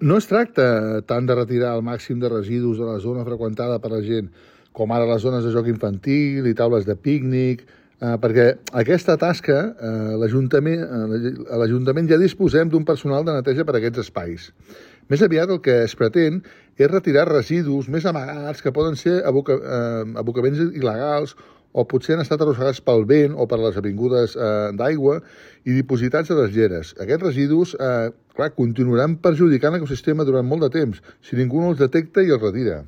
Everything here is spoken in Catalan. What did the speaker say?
No es tracta tant de retirar el màxim de residus de la zona freqüentada per la gent, com ara les zones de joc infantil i taules de pícnic, perquè aquesta tasca a l'Ajuntament ja disposem d'un personal de neteja per a aquests espais. Més aviat el que es pretén és retirar residus més amagats que poden ser abocaments il·legals o potser han estat arrossegats pel vent o per les avingudes d'aigua i dipositats a les lleres. Aquests residus continuaran perjudicant l'ecosistema durant molt de temps si ningú no els detecta i els retira.